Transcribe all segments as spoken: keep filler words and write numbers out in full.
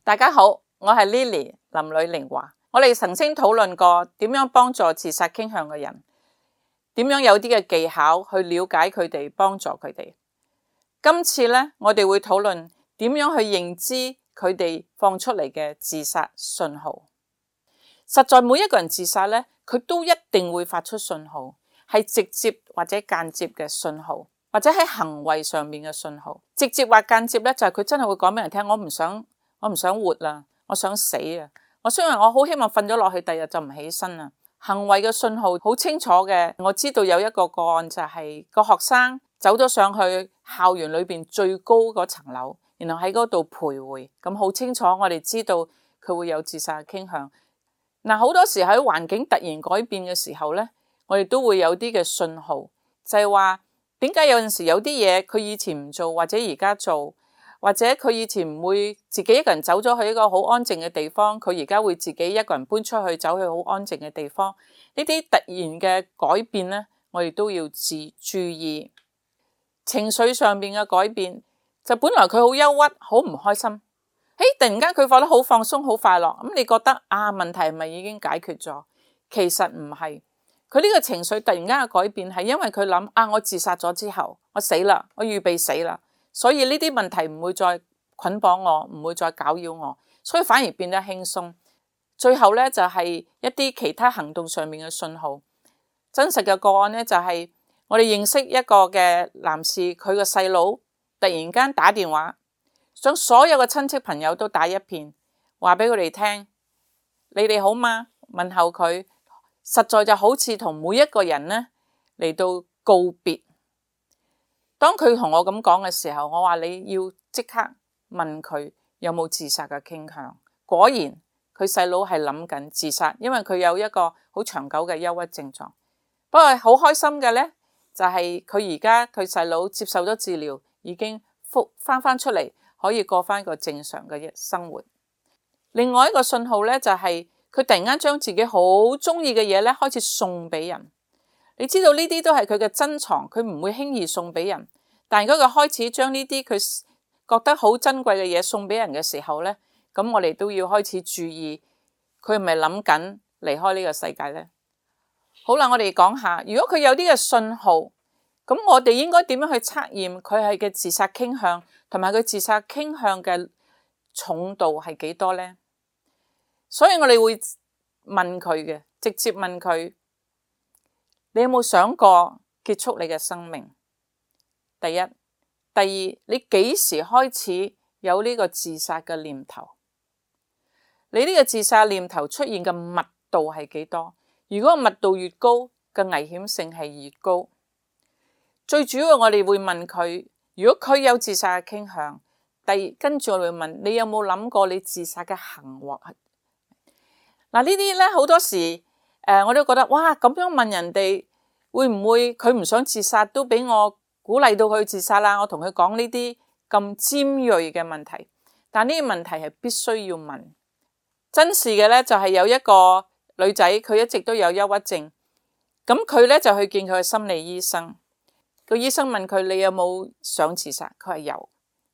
大家好，我係 Lily 林呂玲華。我哋曾經討論過點樣幫助自殺傾向嘅人，點樣有啲嘅技巧去了解佢哋，幫助佢哋。今次呢，我哋會討論點樣去認知佢哋放出嚟嘅自殺信號。實在每一個人自殺呢，佢都一定會發出信號，係直接或者間接嘅信號，或者喺行為上面嘅信號。直接或間接呢，就係佢真係會講俾人聽，我唔想。我唔想活啦，我想死啊！我雖然我好希望瞓咗落去，第日就唔起身啦。行為嘅信號好清楚嘅，我知道有一個個案就係個學生走咗上去校園裏邊最高嗰層樓，然後喺嗰度徘徊，咁好清楚我哋知道佢會有自殺嘅傾向。嗱，好多時喺環境突然改變嘅時候呢，我哋都會有啲嘅信號，就係話點解有陣時有啲嘢佢以前唔做，或者而家做。或者佢以前唔會自己一個人走咗去一個好安靜嘅地方，佢而家會自己一個人搬出去走去好安靜嘅地方。呢啲突然嘅改變呢，我哋都要自注意。情緒上面嘅改變，就本來佢好憂鬱，好唔開心，誒，突然間佢覺得好放鬆，好快樂。咁你覺得啊，問題係咪已經解決咗？其實唔係，佢呢個情緒突然間嘅改變係因為佢諗啊，我自殺咗之後，我死啦，我預備死啦。所以呢啲問題唔會再捆綁我，唔會再攪擾我，所以反而變得輕鬆。最後呢，就係一啲其他行動上面嘅信號。真實嘅個案呢，就係我哋認識一個嘅男士，佢個細佬突然間打電話，將所有嘅親戚朋友都打一片，話俾佢哋聽，你哋好嗎？問候佢，實在就好似同每一個人呢嚟到告別。當佢同我咁講嘅時候，我話你要即刻問佢有冇自殺嘅傾向。果然佢細佬係諗緊自殺，因為佢有一個好長久嘅憂鬱症狀。不過好開心嘅呢，就係佢而家佢細佬接受咗治療，已經復翻翻出嚟，可以過翻個正常嘅生活。另外一個信號呢，就係佢突然間將自己好中意嘅嘢呢開始送俾人。你知道呢啲都係佢嘅珍藏，佢唔會輕易送俾人。但如果佢開始將呢啲佢覺得好珍貴嘅嘢送俾人嘅時候呢，咁我哋都要開始注意，佢係咪諗緊離開呢個世界呢？好啦，我哋講下，如果佢有啲嘅信號，咁我哋應該點樣去測驗佢係嘅自殺傾向，同埋佢自殺傾向嘅重度係幾多呢？所以我哋會問佢嘅，直接問佢。你有冇想過結束你嘅生命？第一，第二，你幾時開始有呢個自殺嘅念頭？你呢個自殺念頭出現嘅密度係幾多？如果密度越高，嘅危險性係越高。最主要我哋會問佢，如果佢有自殺嘅傾向，第二，跟住我哋會問你有冇諗過你自殺嘅行為？嗱，呢啲咧好多時。誒、呃，我都覺得哇，咁樣問人哋會唔會佢唔想自殺，都俾我鼓勵到佢自殺啦？我同佢講呢啲咁尖銳嘅問題，但呢啲問題係必須要問。真事嘅咧就係有一個女仔，佢一直都有憂鬱症，咁佢咧就去見佢嘅心理醫生。個醫生問佢你有冇想自殺？佢係有。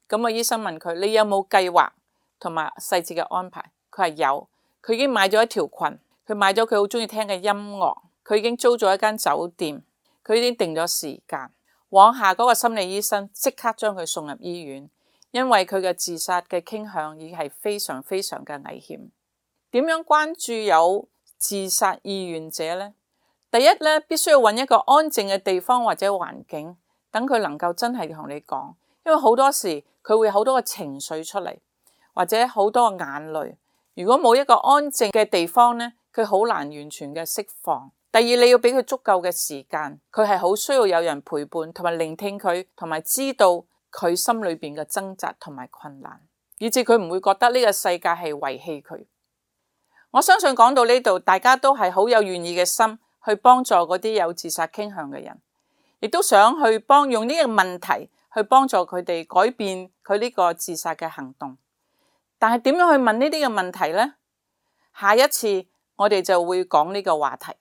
咁個醫生問佢你有冇計劃同埋細節嘅安排？佢係有。佢已經買咗一條裙。佢買咗佢好中意聽嘅音樂，佢已經租咗一間酒店，佢已經定咗時間。往下嗰個心理醫生即刻將佢送入醫院，因為佢嘅自殺嘅傾向已經係非常非常嘅危險。點樣關注有自殺意願者呢？第一咧，必須要揾一個安靜嘅地方或者環境，等佢能夠真係同你講，因為好多時佢會好多個情緒出嚟，或者好多個眼淚。如果冇一個安靜嘅地方呢，佢好難完全嘅釋放。第二，你要俾佢足夠嘅時間，佢係好需要有人陪伴，同埋聆聽佢，同埋知道佢心裏邊嘅掙扎同埋困難，以至佢唔會覺得呢個世界係遺棄佢。我相信講到呢度，大家都係好有願意嘅心去幫助嗰啲有自殺傾向嘅人，亦都想去幫用呢個問題去幫助佢哋改變佢呢個自殺嘅行動。但係點樣去問呢啲嘅問題呢？下一次我哋就會講呢個話題。